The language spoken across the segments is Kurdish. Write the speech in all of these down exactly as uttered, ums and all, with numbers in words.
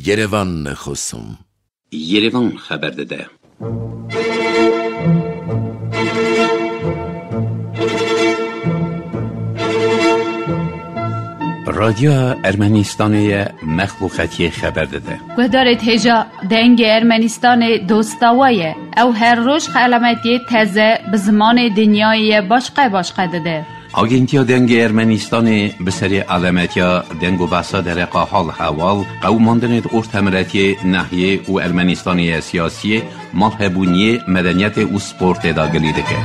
Yerevan Xusum. Yerevan xeber dide. Radyoya Ermenistanê ye, mexluqetiyê xeber dide. Guhdarêt hêja Dengê Ermenistanê dosta we ye. Ew her roj xelametiyê teze bi zimanê dinyayê ye başqe başqe dide. Agentiya Dengê Ermenistanê bi serê alemetiya deng û behsa dereqa hal hewal, qewimandinê di ortemiretiyê, nehiyê û Ermenistanê ye siyasiyê, malhebûniyê, medeniyetê û sportê de gilî dike.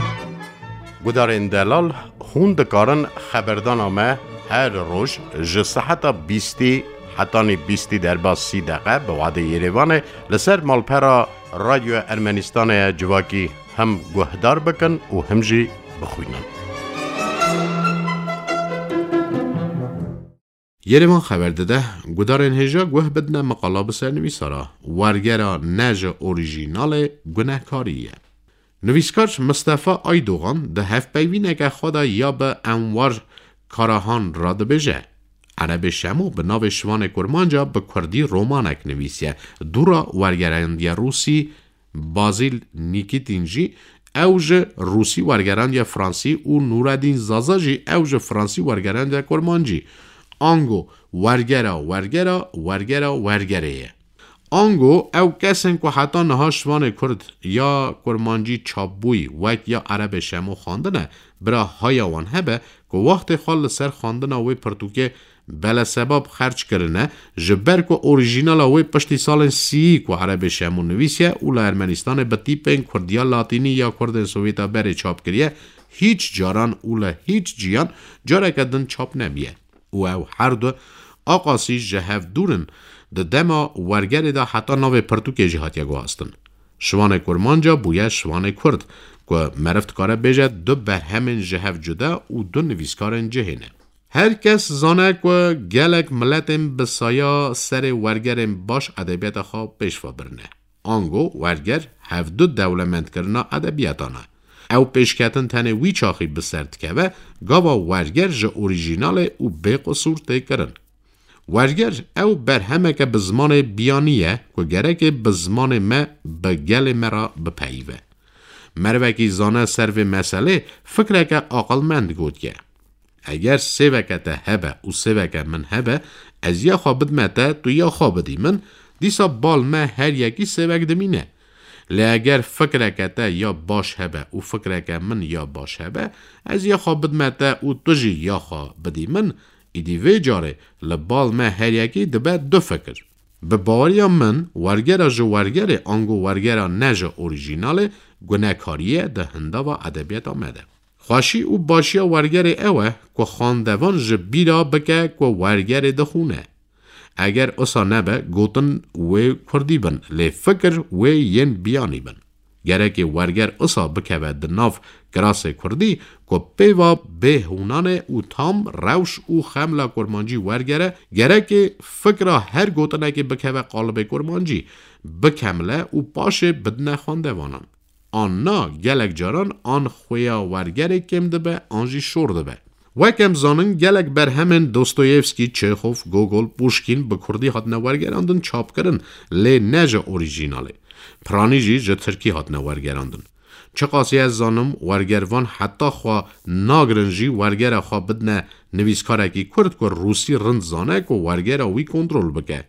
Gudarên delal, hûn dikarin xeberdana me her roj ji seheta bîstî hetanî bîstî derbas sî deqe bi wadê Yerevanê li ser malpera Radyoya Ermenistanê ye civakî hem guhdar bikin û hem jî bixwînin. Yerevan xeber dide, gudarên hêja guh bidine miqala bi sernivîsara Wergera ne ji orîjînalê gunehkarî ye. Nivîskar Mistefa Aydogan di hevpeyvîneke xwe de ya bi Enwar Karahan re dibêje, Erebê Şemo bi navê Şivanê Kurmanca bi kurdî romanek nivîsiye, dûra wergerandiya Rûsî Bazîl Nîkîtîn jî ew ji rûsî wergerandiye fransî û Nûredîn Zaza jî ew ji fransî wergerandiye kurmancî. Ango wergera wergera wergera wergerê ye. Ango ew kesên ku heta niha şivanê kurd ya kurmancî çapbûyî wek ya Erebê Şemo xwendine, bira haya wan hebe ku wextê xwe li ser xwendina wê pirtûkê belesebab xerc kirine, ji ber ku orîjînala wê piştî salên sîyî ku Erebê Şemo nivîsiye û li Ermenistanê bi tîpên kurdiya latînî ya kurdên Sovyeta berê çap kiriye, hîç caran û li hîç ciyan careke din çap nebiye. Û ew her du aqasî ji hev dûr in, di dema wergerê de heta navê pirtûkê jî hatiye guhastin. Şivanê Kurmanca bûye Şivanê Kurd, ku meriv dikare bêje du berhemên ji hev cuda û du nivîskarên cihê ne. Her kes zane ku gelek miletên bi saya serê wergerên baş edebiyata xwe pêş ve birine. Ango werger hevdu dewlemendkirina edebiyatan e. Ew pêşketin tenê wî çaxî bi ser dikeve, gava werger ji orîjînalê û bêqisûr tê kirin. Werger ew berhemeke bi zimanê biyanî ye ku gerekê bi zimanê me bi gelê me re bipeyive. Merivekî zane ser vê meselê fikreke aqilmend gotiye. Eger sêveke te hebe û sêveke min hebe, ez ya xwe bidime te, tu ya xwe bidî min, dîsa bal me her yekî sêvek dimîne. Lê eger fikreke te ya baş hebe û fikreke min ya baş hebe, ez ya xwe bidime te û tu jî ya xwe bidî min, îdî vê carê li bal me her yekî dibe du fikir. Bi baweriya min, wergera ji wergerê ango wergera ne ji orîjînalê gunekarî ye di hindava edebiyata me de. Xweşî û başiya wergerê ew e ku xwendevan ji bîra bike ku wergerê dixwîne. Eger usa nebe, gotin wê kurdî bin, lê fikir wê yên biyanî bin. Gerekê werger usa bikeve di nav kirasê kurdî ku pêva bê hûnan e û tam rewş û xemla kurmancî wergere, gerekê fikra her gotinekê bikeve qalibê kurmancî, bikemle û paşê bidine xwendevanan. An na, gelek caran an xuya wergerê kêm dibe, an jî şor dibe. Wek em zanin, gelek berhemên Dostoyevskî, Çêxov, Gogol, Puşkîn bi kurdî hatine wergerandin, çapkirin, lê ne ji orîjînalê. Piranî jî ji tirkî hatine wergerandin. Çiqasî ez zanim, wergervan heta xwe nagirin jî wergera xwe bidine nivîskarekî kurd ku rûsî rind zane ku wergera wî kontrol bike.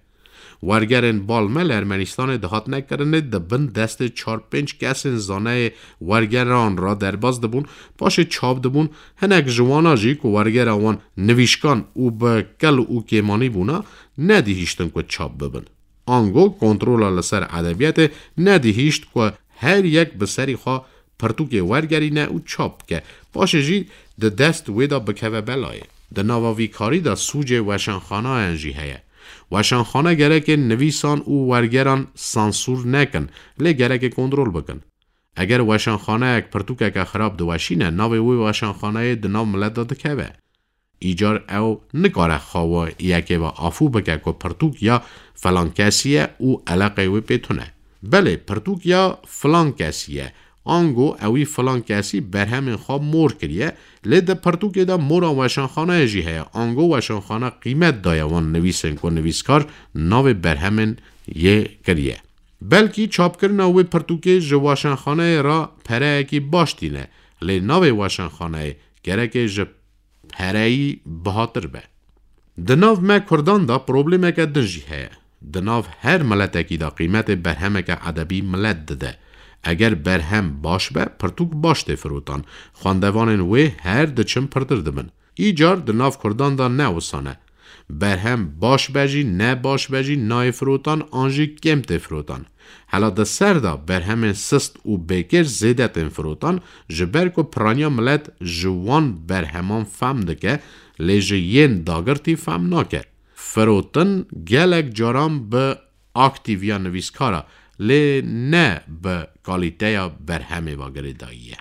Wergerên bal me li Ermenistanê dihatine kirinê, di bin destê çar pênc kesên zaneyê wergeran re derbas dibûn, paşê çap dibûn, hinek ji wana jî ku wergera wan nivîşkan û bi kel û kêmanî bûna, nedihîştin ku çap bibin. Ango kontrola li ser edebiyatê nedihîşt ku her yek bi serî xwe pirtûkê wergerîne û çap bike, paşê jî di dest wê de bikeve belayê. Di nava vî karî de sûcê weşanxanayan jî heye. Weşanxane gerekê nivîsan û wergeran sansûr nekin, lê gerekê kontrol bikin. Eger weşanxaneyek pirtûkeke xirab diweşîne, navê wê weşanxaneyê di nav milet de dikeve. Îcar ew nikare xwe yekê ve afû bike ku pirtûk ya filan kesî ye û eleqeyê wê pê tune. Belê, pirtûk ya filan kesî ye, Ango ewî filan kesî berhemên xwe mor kiriye, lê di pirtûkê de mora weşanxaneyê jî heye. Ango weşanxane qîmet daye wan nivîsên ku nivîskar navê berhemên yê kiriye. Belkî çapkirina wê pirtûkê ji weşanxaneyê re pereyekî baş tîne, lê navê weşanxaneyê gereke ji pereyî bihatir be. Di nav me Kurdan de problemeke din jî heye. Di nav her miletekî de qîmetê berhemeke edebî milet dide. Eger berhem baş be, pirtûk baş tê firotan. Xwendevanên wê her diçin pirtir dibin. Îcar di nav Kurdan de ne wisa ne. Berhem baş be jî, ne baş be jî nayê firotan an jî kêm tê firotan. Hela di ser de berhemên sist û bêkêr zêde tên firotan, ji ber ku piraniya milet ji wan berheman fehm dike, lê ji yên dagirtî fehm nake. Firotin gelek caran bi aktîviya nivîskara, lê ne bi kalîteya berhemê ve girêdayî ye.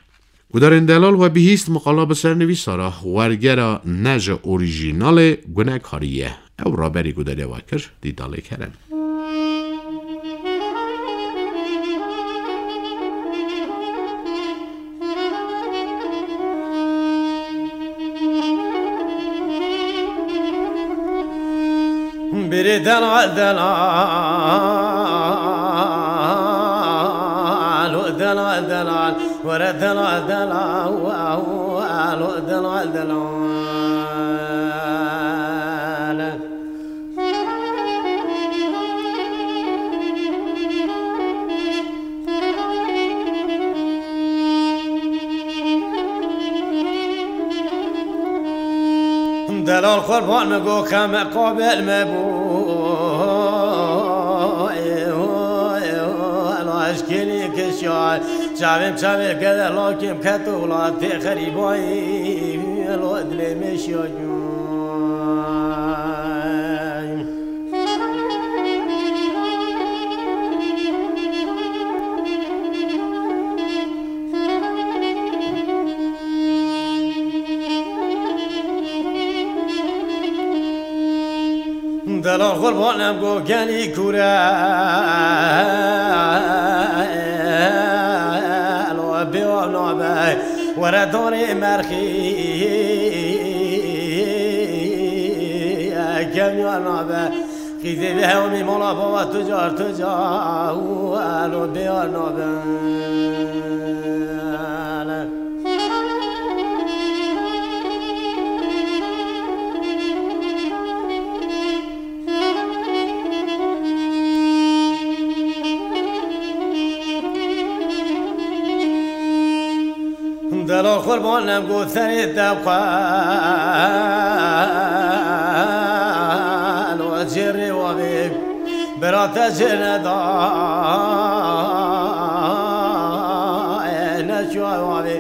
Gudarên delal, we bihîst miqala bi sernivîsa re, wergera ne ji orîjînalê gunekarî ye. Ew raberî gudariya we kir, Dîdalê Kerem. Biri delal delal, delal delal, were delal delal, delal delal. Delal qurban me go keme qabel me bu. Elo eşkînî kişay, çavêm çavê gele lakim keto wlatê xerîbayî. Elo dilê me şiya. Delal qurbanem go gelî kure, lo bêwa nabe, were danê merxî, kemiya nabe. Qîzê vê hewmî mala bava tu car, tu car, û elo bêyar nabe. Delal qurban nem got serê te xwe, lo cêrê wavê, bira te cê neda, e, ne çuwa wavê.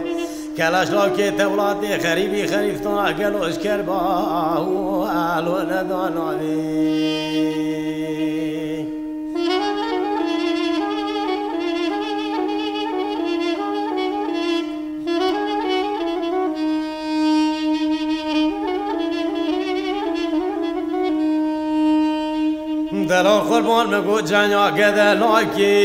Kelaş lakê te welatê xerîbî xerîftan gelo eşker ba, û elo neda navê. Delal qurban me got canya gede lakî,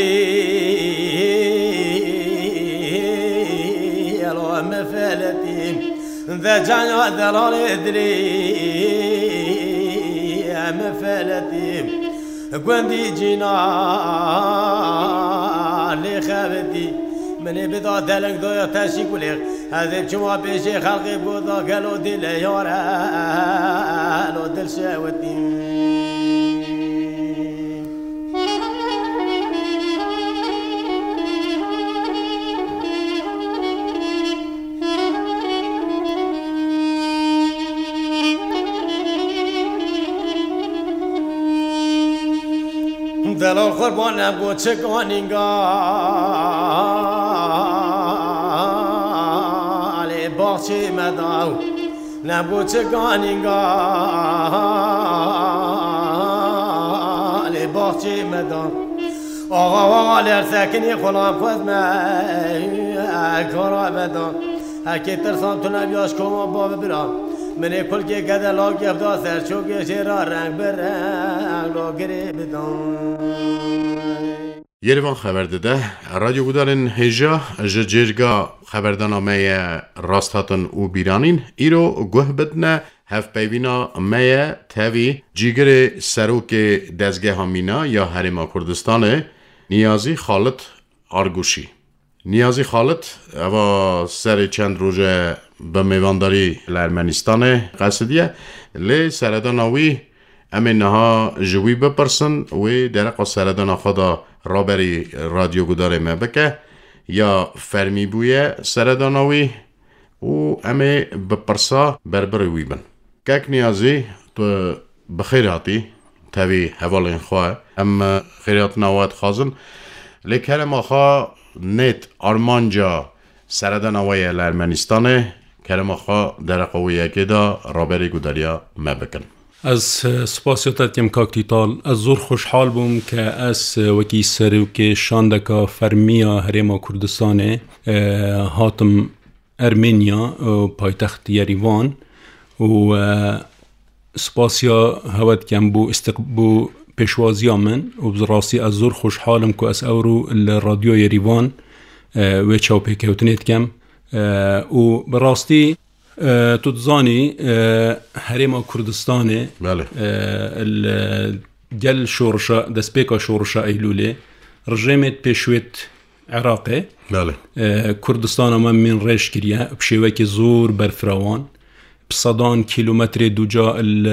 elo me feletî. De canya delalê dilî me feletî. Gundî cîna lê xebitî. Min ê bida deleng doya teşî kulêx. Ez ê çima pêşê xelqê goda gelo dil e yare, lo dil şewitî. Delal qurban nebû çika nînga lê baxçê me da. Nebû çika nînga lê baxçê me da. Axa, axa, lê her sekinî xulam xwest me kara me da. Hekê tirsan tu nebiya ji koma bavê bira. Min ê kulkê gede lagê xwe da ser çokê jê re reng bi reng lo girê bidan. Yerivan xeber dide. Radyo Gudarên hêja ji cêrga xeberdana me ye rasthatin û bîranîn. Îro guh bidine hevpeyvîna me ye tevî cîgirê serokê dezgeha mîna ya Herêma Kurdistanê, Niyazî Xalit Arguşî. Niyazî Xalit, eva serê çend roje bi mêvandarî li Ermenistanê qesidiye, lê seredana wî em ê niha ji wî bipirsin, wê dereqa seredana xwe de raberî radyogudarê me bike, ya fermî bûye seredana wî û em ê bi pirsa berbirê wî bin. Kek Niyazî, tu bi xêr hatî, tevî hevalên xwe. Em xêrhatina we dixwazin. Lê kerema xwe nêt armanca seredana we ye li Ermenistanê. Kerema xwe dereqa wê yekê de raberî gudariya me bikin. Ez, e, spasiya te dikim, kak Tîtal. Ez zor xweşhal bûm ke ez, e, wekî serokê şandeka fermî ya Herêma Kurdistanê, e, hatim Ermenya, e, paytext Yerîvan û, e, spasiya hewe dikem bo istiq-, bo pêşwaziya min û bi rastî ez zor xweşhal im ku ez ewro li Radyo Yerîvan, e, wê çawpêkewtinê dikem. E, û bi rastî, e, tu dizanî, e, Herêma Kurdistanê, Belê. e, li gel şorişa, destpêka şorişa Eylûlê, rejêmê pêşwêt Iraqê, Belê. e, Kurdistana me mîn rêj kiriye, bi şêwekî zor berfirawan. Bi sedan kîlometrê dûca li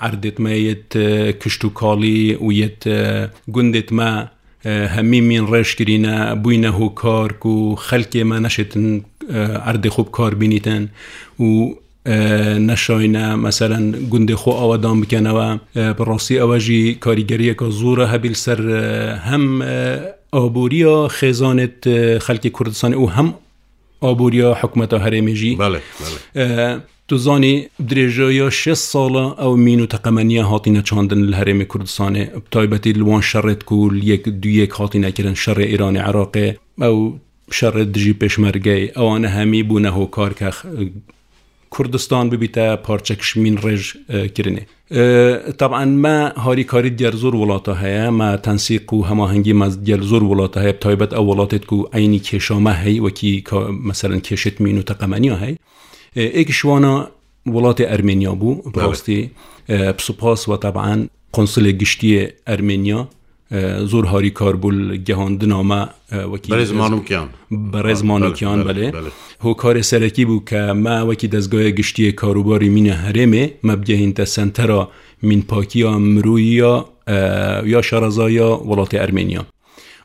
erdêt me yêt, e, kişt û kalî û yêt, e, gundêt me, e, hemî mîn rêj kirîne, bûyne hokar ku xelkê me neşêtin, e, erdê xwe bi kar bînîtin û, e, neşayne, meselen, gundê xwe awedan bikenewe. E, bi rastî ewe jî karîgeriyeka zor e hebî li ser, e, hem, e, aboriya xêzanêt, e, xelkê Kurdistanê û hem aboriya hikûmeta herêmê jî. Belê, belê. E, tu zanî, dirêjaya şêst sala ew mîn û teqemeniya hatîne çandin li herêmê Kurdistanê. Bi taybetî li wan şerêt ku li yek du yek hatîne kirin, şerê Îranê Iraqê, ew şerê dijî pêşmergeyê, ewane hemî bûne hokar ke Kurdistan bibîte parçek ji mîn rêj, e, kirinê. E, taban me harîkarî digel zor welata heye, me tensîq û hemahengî me digel zor welata heye, bi taybet ew welatêt ku eynî kêşa me hey, wekî ka-, meselen kêşêt mîn û teqemeniya hey. E, êk ji wana welatê Ermeniya bû, bi Belê. rastî, e, bi spas we taban Konsulê Giştiyê Ermeniya, e, zor harîkar bû li gehandina me, e, wekî Berêz Manûkyan. Berêz Ha, Manûkyan, belê, belê, belê. belê. Hokarê serekî bû ke me wekî dezgaya giştiyê karûbarî mîna herêmê me bigehînte sentera mînpakiya mirûyî ya, e, ya şarezaya welatê Ermeniya.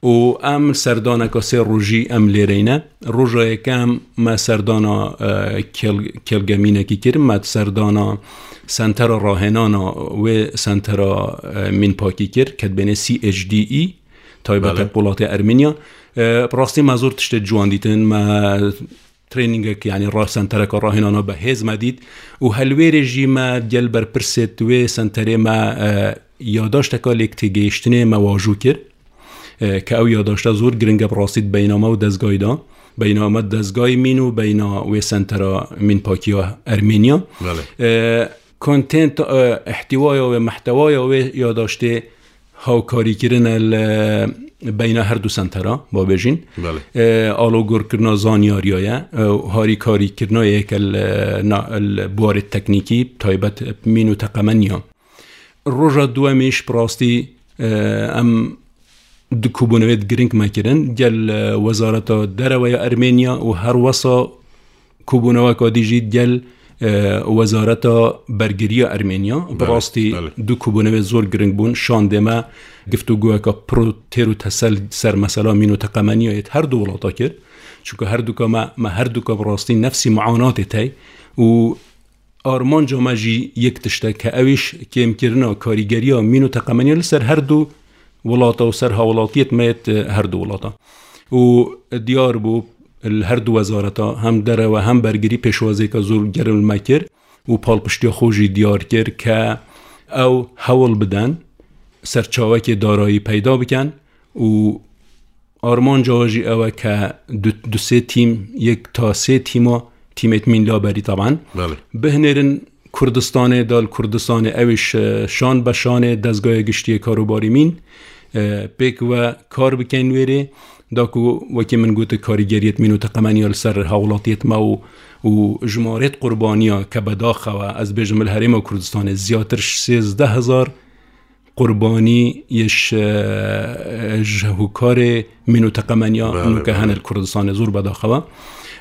Û em serdaneka sê rojî em lêreyne. Roja yekem me serdana, e, kêl-, kêlgemînekî kir. Me serdana sentera rahênana wê sentera, e, mînpakî kir, ke dibêne C H D E, taybet Belê. bi welatê Ermeniya. E, bi rastî me zor tiştê ciwan dîtin. Me trainingek, yanî ra-, sentereka rahênana bi hêz me dît û helwêrê jî me gel berpirsêt wê senterê me, e, yadaşteka lêk têgihiştinê me wajû kir. E, ke ew yadaşte zor giring e bi rastî di beyna me û dezgayî de. Beyna me dezgayî mîn û beyna wê sentera mînpakiya Ermeniya. Belê. E, content, e, ihtiwaya wê, mehtewaya wê yadaştê hawkarî kirine li beyna her du sentera, ba bêjin. Belê. E, alogorkirina zanyariya ye, e, harîkarîkirina yeke li, na, li buwarê teknîkî, taybet mîn û teqemeniya. Roja duwemîş bi rastî, e, em du kobûnewêt giring me kirin, gel, e, Wezareta Derewe ya Ermeniya û her wesa kobûneweka dî jî gel, e, Wezareta Bergiriya Ermeniya. Bi Belê, rastî belê. du kobûnewêt zor giring bûn. Şandê me giftûgoyeka pir û têr û tesel ser mesela mîn û teqemeniya yêt her du welata kir. Çunku her duka me, me her duka bi rastî nefsî muanatê tey û armanca me jî yek tişt e, ke ew îş kêmkirina karîgeriya mîn û teqemeniya li ser her du welata û ser hawlatiyêt me yêt, e, her du welata. Û diyar bû, li her du wezareta, hem derewe hem bergirî, pêşwaziyeke zor germ li me kir û palpiştiya xwe jî diyar kir ke ew hewl biden serçavekê darayî peyda bikin û armanca we jî ew e ke du, du sê tîm, yek ta sê tîma, tîmêt mîn laberî taban, Belê. bihinêrin Kurdistanê, dal Kurdistanê, ew îş, e, şan be şanê dezgaya giştiyê karûbarî mîn, e, pêk ve kar bikeyn wêrê, da ku wekî min gote karîgeriyet mîn û teqemeniya li ser hawlatiyet me û, û jimarêt qurbaniya ke bedaxewe, ez bêjim li Herêma Kurdistanê ziyatir ji sêzdeh hezar qurbanî yê ji, e, ji hûkarê mîn û teqemeniya Belê, nûke belê. hene li Kurdistanê zor bedaxewe.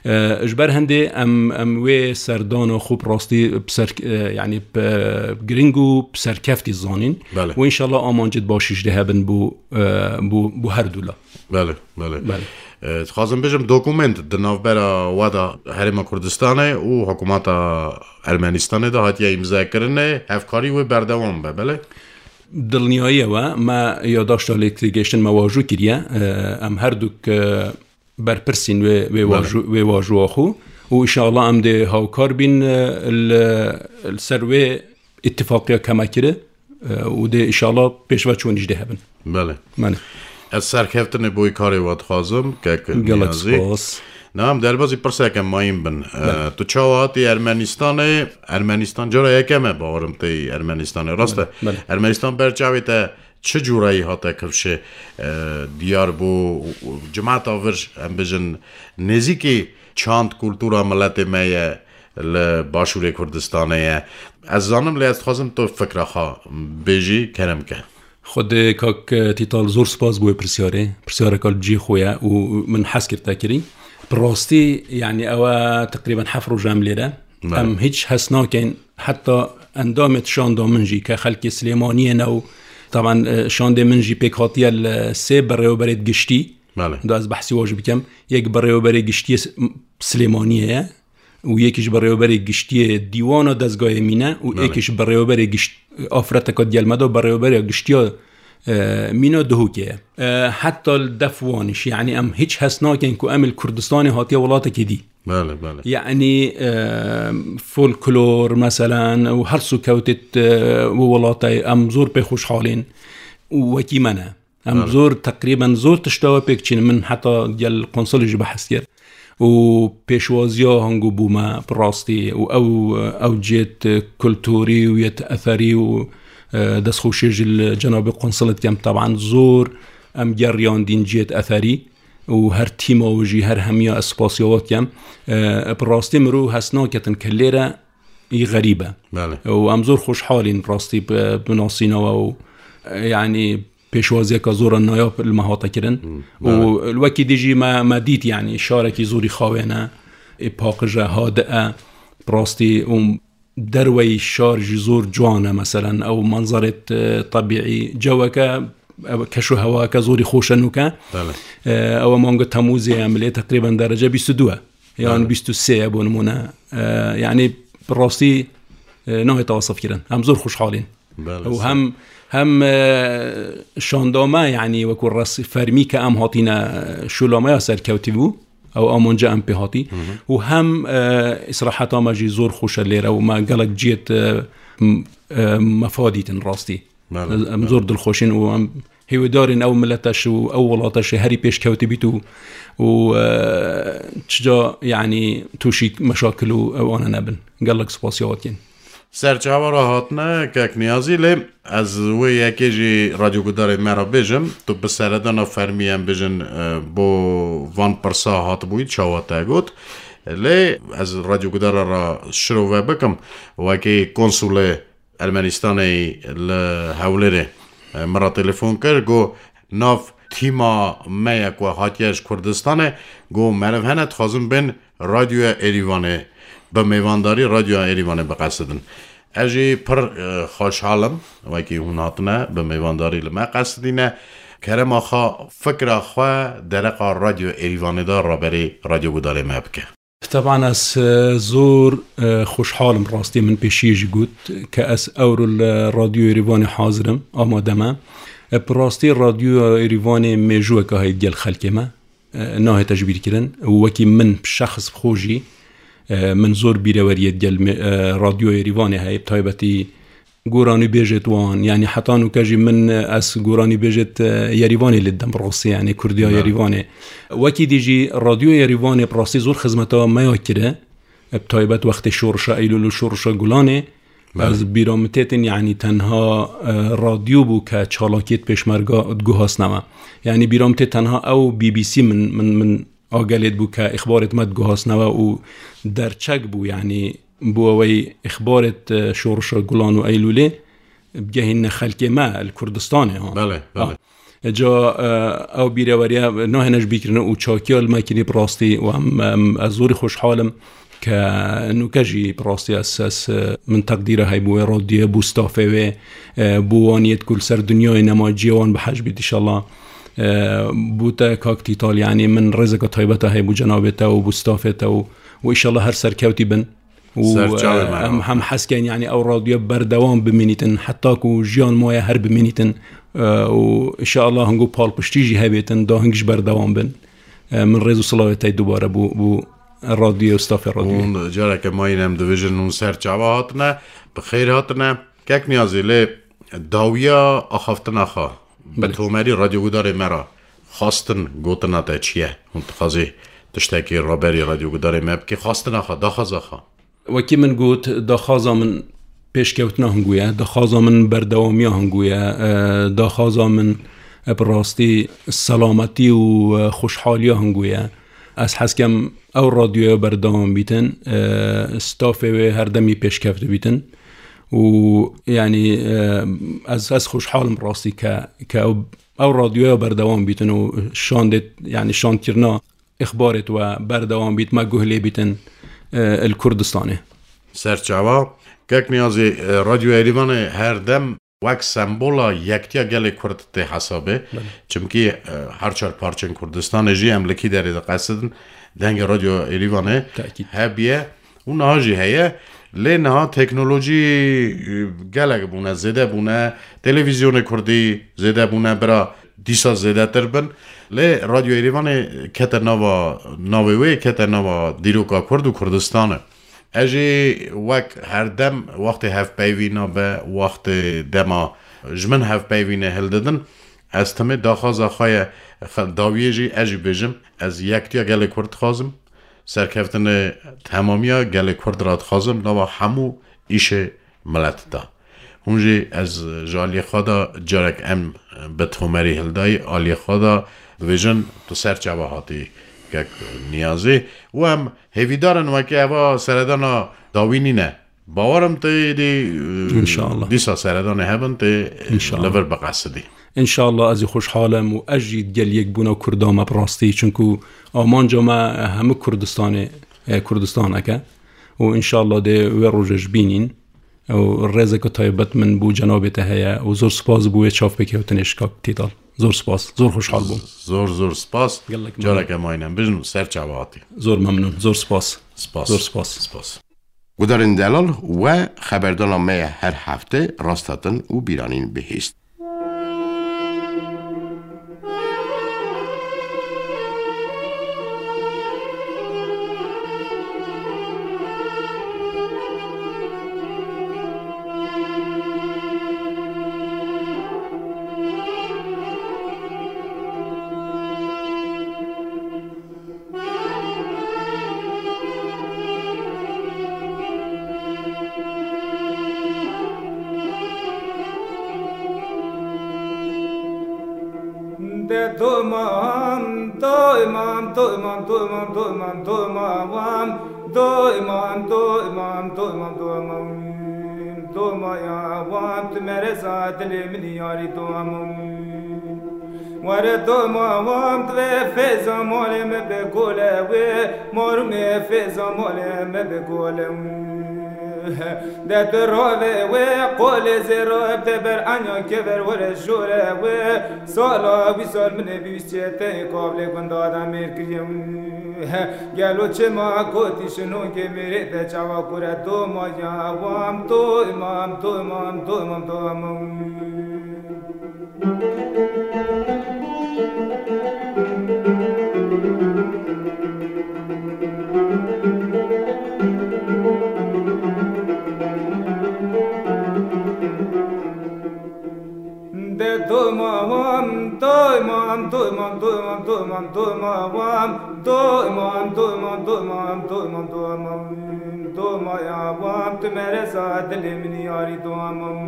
E, ji ber hindê em, em wê serdana xwe bi rastî bi ser, e, yanî bi giring û bi serkeftî zanîn. Belê. Û înşallah amancêt başî jî dê hebin bo, e, bo, bo her du la. Belê, belê. Belê. E, dixwazim bêjim dokument di navbera we de Herêma Kurdistanê û hikûmeta Ermenistanê de hatiye îmzekirinê, hevkarî wê berdewam be, belê? Dilniyayî we, me yadaşta lêktegêştin me wajû kiriye. E, em her duk, e, berpirsîn wê, wê Belê. wajû-, wê wajûa xwe û înşallah em dê hawkar bîn, e, li, li ser wê îtifaqiya ke me kiri, e, û dê înşallah pêşveçûnî jî dê hebin. Belê. Belê. Ez serkeftinê bo karê we dixwazim, kek Gelek Niyazî. spas. Na, em derbazî pirseke mayîn bin. E, Belê. Tu çawa hatî Ermenistanê? Ermenistan cara yekem e, bawerim tê Ermenistanê. Rast e. Belê, belê. Ermenistan ber çavê te çi cûreyî hate kifşê, e, diyar bû, cimata vir, em bijin, nêzîkî çand kultura miletê me ye li Başûrê Kurdistanê ye. Ez zanim, lê ez dixwazim tu fikra xwe bêjî, kerem ke. Xwedê kak Tîtal zor spas bo wê pirsyarê. Pirsyareka li cihê xwe ye û min hez kir te kirî. Bi rastî, yanî ew e teqrîben heft roj em lêre. Belê. Em hiç hes nakin, heta endamêt şanda min jî ke xelkê Silêmaniyê ne û, taban, e, şandê min jî pêk hatiye li sê birêwberêt giştî. Belê. Da ez behsî wa jî bikim. Yek birêwberê giştiyê S-, Silêmaniyê ye û yekî ji birêwberê giştiyê dîwana dezgayê mîne û Belê. yekî ji birêwberê gişt-, afreteka diyel me da birêwberê giştiya, e, mîna Duhokê ye. E, heta li def wan îş, yanî em hiç hes nakin ku em li Kurdistanê hatiye welatekê dî. Belê, belê. Yanî, e, folklor, meselen, û her sokewtêt, e, û welatê em zor pê xweşhalên û wekî me ne. Em Belê. zor, teqrîben zor tişta we pêk çîn. Min heta gel konsulê jî behs kir. Û pêşwaziya hango bû me bi rastî û ew, ew cêt kulturî û yet etherî û, e, destxweşiyê jî li cenabê konsulê dikem. Taban zor em geriyandîn cêt etherî û her tîma wî jî her hemiya ez spasiya we dikem. E, bi rastî mirov hes naketin ke lêre î xerîb e. Belê. Û em zor xweşhalîn rastî bi, bi nasîna we û, e, yanî pêşwaziyeka zor e nayab li me hate kirin. Hmm, Û belê. wekî dî jî me, me dît, yanî şarekî zorî xawên e, ê paqij e, hadi e, bi rastî û derweyî şar jî zor ciwan e, meselen, ew manzerêt, e, tebîî, ceweke, ew keş û hewayeke zorî xweş e nûke. Belê. E, ew e manga Temûzê ye, em lê teqrîben derece bîst û du e. Yan Belê. bîst û sê ye bo nimûne. E, yanî bi rastî, e, nayê tewasif kirin. Em zor xweşhalîn. Belê, Û sağ hem, hem, e, şanda me, yanî wekû res-, fermî ke em hatîne, e, şûla me ya serkewtî bû. Ew amanca em pê hatî. Hı hı. Û hem, e, îstiraheta me jî zor xweş e lêre û me gelek cihêt, e, m-, e, mefa dîtin rastî. Belê, Em belê. zor dilxweşin û em hêwedarên ew milete şi û ew welate şi herî pêşkewtî bît û, û, e, çica, yanî tûşî meşakil û ew ane nebin. Gelek spasiya we dikin. Ser çawa re hatine, kek Niyazî, lê ez wê yekê jî radyogudarê me re bêjim, tu bi seredana fermî em bêjin, e, bo van pirsa hatibûyî, çawa te got. Lê ez radyogudara re şirove bikim, wekî konsulê Ermenistanê li Hewlêrê, e, min re telefon kir, got, nav tîma me ye ku hatiye ji Kurdistanê, got, meriv hene, dixwazin bên Radyoya Êrîvanê, bi mêvandarî Radyoya Êrîvanê biqesidin. Ez jî pir, e, xweşhal im, wekî hûn hatine, bi mêvandarî li me qesidîne. Kerema xwe, fikra xwe dereqa Radyoya Êrîvanê de raberî radyogudarê me bike. Teban ez, e, zor, e, xweşhal im, rastî min pêşiyê jî got ke ez ewro li Radyoya Êrîvanê hazir im, amade me. E, bi rastî Radyoya Êrîvanê mêjûyeke heye digel xelkê me. E, nahête ji bîr kirin. Û wekî min bi şexs bi xwe jî, e, min zor bîreweriyê digel me, e, Radyoya Êrîvanê heye, bi taybetî goranîbêjêt wan, yanî heta nûke jî min, e, ez goranîbêjêt, e, Yerîvanê lê didim bi rastî, yanî Kurdiya Belê. Yerîvanê. Wekî dî jî Radyoya Yerîvanê bi rastî zor xizmeta me ya kire, e, bi taybet wextê şorişa Eylûl û şorişa Gulanê, Belê. Ez bîra min têtin, yanî tenha, e, radyo bû ke çalakiyê pêşmerga diguhasne me. Yanî bîra min tê tenha ew B B C min, min, min agelê dibû ke îxbarêt me diguhasne we û derçek bû, yanî bo ewey îxbarêt, e, şorişa Gulan û Eylûlê bigehînne xelkê me li Kurdistanê, ha. Belê, belê. Ah. Ca, e, ew bîreweriya nahêne ji bîr kirin û çakiya li me kirî bi rastî û em, em, ez zorî xweşhal im ke nûke jî bi rastî ez, ez, e, min teqdîra heybû wê radyoyê, bû stafê wê, e, bû waniyêt ku li ser dinyayê nema ciyê wan bi hej bît, înşallah. E, bû te kak Tîtal, yanî min rêzeke taybet e heybû cenabê te û bû stafê te û, û înşallah her serkewtî bin. Û, Serçavê e, me em, em hez kein, yanî ew radyoya berdewam bimînîtin, heta ku jiyan maye her bimînîtin. E, û înşallah hingo palpiştî jî hebêtin, da hing ji berdewam bin. E, min rêz û silavê te dubare bû, bû radyoyê û stafê radyoyê. Hûn careke mayîn em dibêjin, hûn serçava hatine, bi xêr hatine. Kek Niyazî, lê dawiya axaftina xwe, bi Belê. tomerî radyogudarê me re xwestin gotina te çi ye? Hûn dixwazî tiştekî raberî radyogudarê me bikî? Xwestina xwe, daxwaza xwe. Wekî min got, daxwaza min pêşkewtina hingû ye, daxwaza min berdewamiya hingû ye, e, daxwaza min, e, bi rastî selametî û, e, xweşhaliya hingû ye. Ez hez kem ew radyoya berdewam bîtin, e, stafê wê her demî pêşkevtî bîtin û, yanî, e, ez, ez xweşhal im rastî ke, ke ew, ew radyoya berdewam bîtin û şandê, yanî şandkirina îxbarêt we berdewam bît, me guh lê bîtin, e, li Kurdistanê. Serçava, Kek Niyazî, e, Radyo Êrîvanê her dem wek sembola yektiya gelê Kurd tê hesabê. Belê. Çimkî, e, her çar parçên Kurdistanê jî em li kî derê diqesidin, dengê Radyo Êrîvanê Tekîd. hebiye û niha jî heye. Lê niha teknolojî, e, gelek bûne, zêde bûne, televîzyonê Kurdî zêde bûne, bira dîsa zêdetir bin. Lê Radyo Êrîvanê kete nava, navê wê kete nava dîroka Kurd û Kurdistanê. Ez jî wek her dem wextê hevpeyvîna be, wextê dema ji min hevpeyvînê hildidin, ez timê daxwaza xwe ye, xel-, dawiyê jî ez jî bêjim, ez yektiya gelê Kurd dixwazim, serkeftinê temamiya gelê Kurd re dixwazim, nava hemû îşê milet de. Hûn jî ez ji aliyê xwe de carek em bi tomerî hildayî, aliyê xwe de dibêjin tu ser çava hatî kek Niyazî û em hêvîdar in wekî eva seredana dawî nîne. Bawer im tê êdî, e, Înşallah. dîsa seredanê hebin tê, e, Înşallah. li vir biqesidî. Înşallah ez jî xweşhal im û ez jî gel yekbûna Kurda me bi rastî, çunku amanca me hemû Kurdistanê, e, Kurdistanek e û înşallah dê wê roje jî bînîn. Û rêzeke taybet min bo cenabê te heye û zor spas bo wê çavpêkewtinê ji kak Tîtal. Zor spas, zor xweşhal bûm. Zor, zor spas. Gelek memnun. Careke mayîn em bijin û ser çava hatî. Zor memnun, zor spas. Spas. Zor spas. Spas. Gudarên delal we xeberdana me ye her hefte rast hatin û bîranîn bihîst. De domam, doymam, doymam, doymam, doymam, doymam, doymam, doymam, doymam, doymam, doymam, ya wam, tu mereza dilê min yarî domam. Were doma wam divê fêza malê me bi gole wê, marumê fêza malê me bi gole wê. De tu ravê wê, qolê zêra de ber enya kever were jore wê. Sala wî sal min ê bîst çeteyê kavlê gunda de mêr kiriye wê. Gelo çima kotî şinokê mêrê de çawa kure doma ya wam to imam, to imam, to imam, to imam. De doma wam, doma, Domam, domam, domam, domam, domam, domam, domam, domam, domam, domam, domam, domam, ya wam, tu mereza dilê min yarî domam.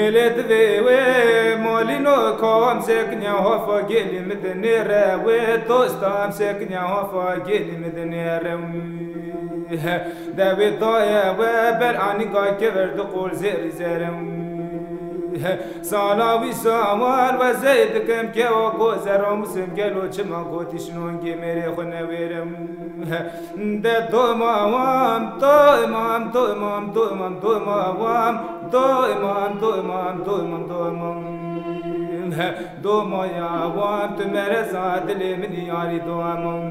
Êlê divê wê malîno kawam sekiniya hafa gelî min dinêre wê dostam sekiniya hafa gelî min dinêre wê. Dewê daye we ber anî gay kever du qol zêrî zerem. Sala wî sawal we zey dikim kewa go zeramusim gelo çima gotî şinongê mêrê xwe newêrim. De doma wam, doymam, doymam, doymam, doma wam, doymam, doymam, doymam, doymam. Doma ya wam, tu mereza dilê min yarî domam.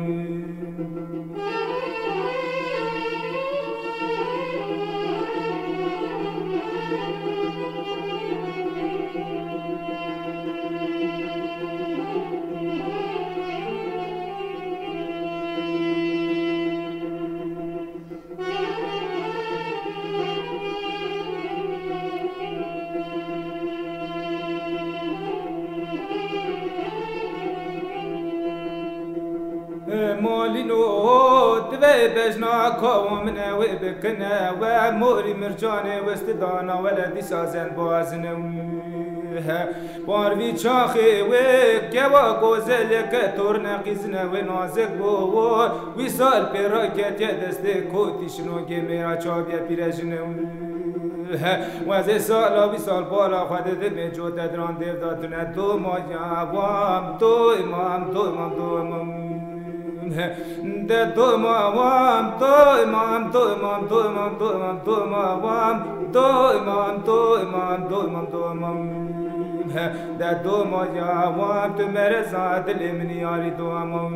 Malîno divê bejna kawa min e wê bikine we morî mircanê westidana wele dîsa zen bazine. Parvî çaxê wê kewa gozeleke torne qîzine wê nazik bû. Wî sal pê raketiye destê kotî şinogê mêra çaviye pîrejine. Wezê sala wî sal bala xwe didimê cote diran dêv da tune doma ya wam doymam doymam doymam. De doma wam, doymam, doymam, doymam, doymam, doma wam, doymam, doymam, doymam, doymam. De doma ya wam, tu mereza dilê min yarî domam.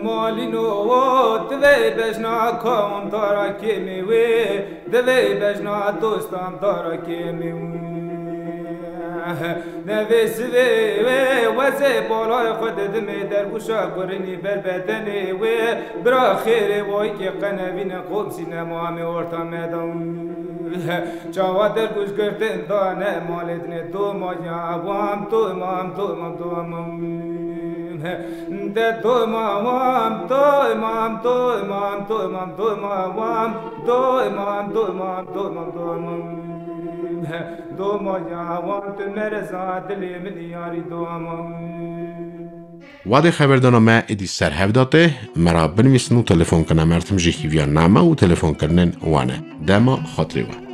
Malîno divê bejna kawam dara kêmê wê, divê bejna dostan dara kêmê wê. Nevê sivê wê wezê balay xwe didimê dergûşa gurinî ber bedenê wê. Bira xêrê wayikê qenevîne qomsîne mamê orta medan. Çawa dergûş girtin dane malê dinê doma ya wam doymam doymam doymam. De doma wam doymam doymam doymam doma wam doymam doymam doymam doymam. Doma ya wam tu mereza dilê min yarî domam. Wadê xeberdana me êdî ser hev da tê, me ra binivîsin û telefon kine, me ra tim jî hîviya name û telefonkirinên wan e. Dema xatirê we.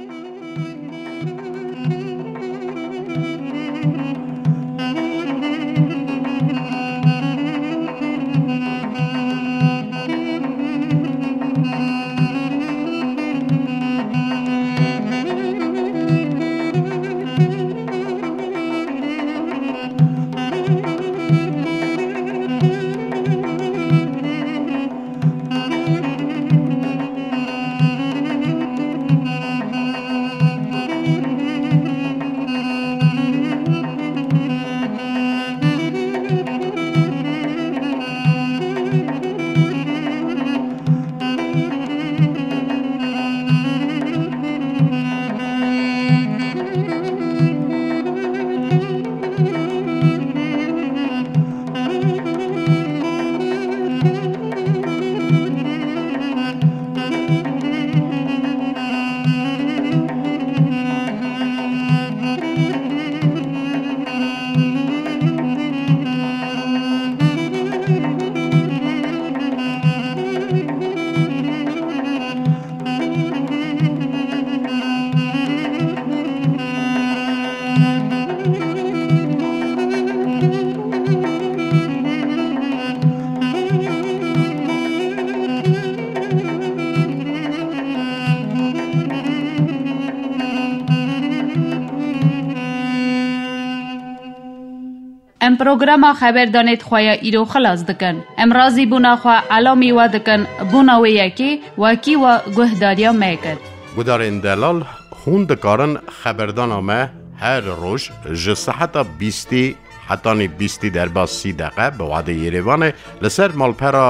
Em programa xeberdanê di xwe ya îro xilas dikin. Em razîbûna xwe elamî we dikin, bona wê yekê wekî we guhdariya me kir. Gudarên delal, hûn dikarin xeberdana me her roj ji seheta bîstî hetanî bîstî derbas sî deqe bi wadê Yerêvanê li ser malpera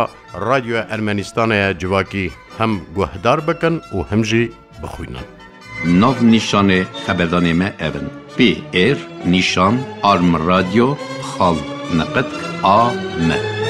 Radyoya Ermenistanê ye, civakî hem guhdar bikin û hem jî bixwînin. Nav nîşanê xeberdanê me ev in: P R nîşan arm radyo xal niqit A M.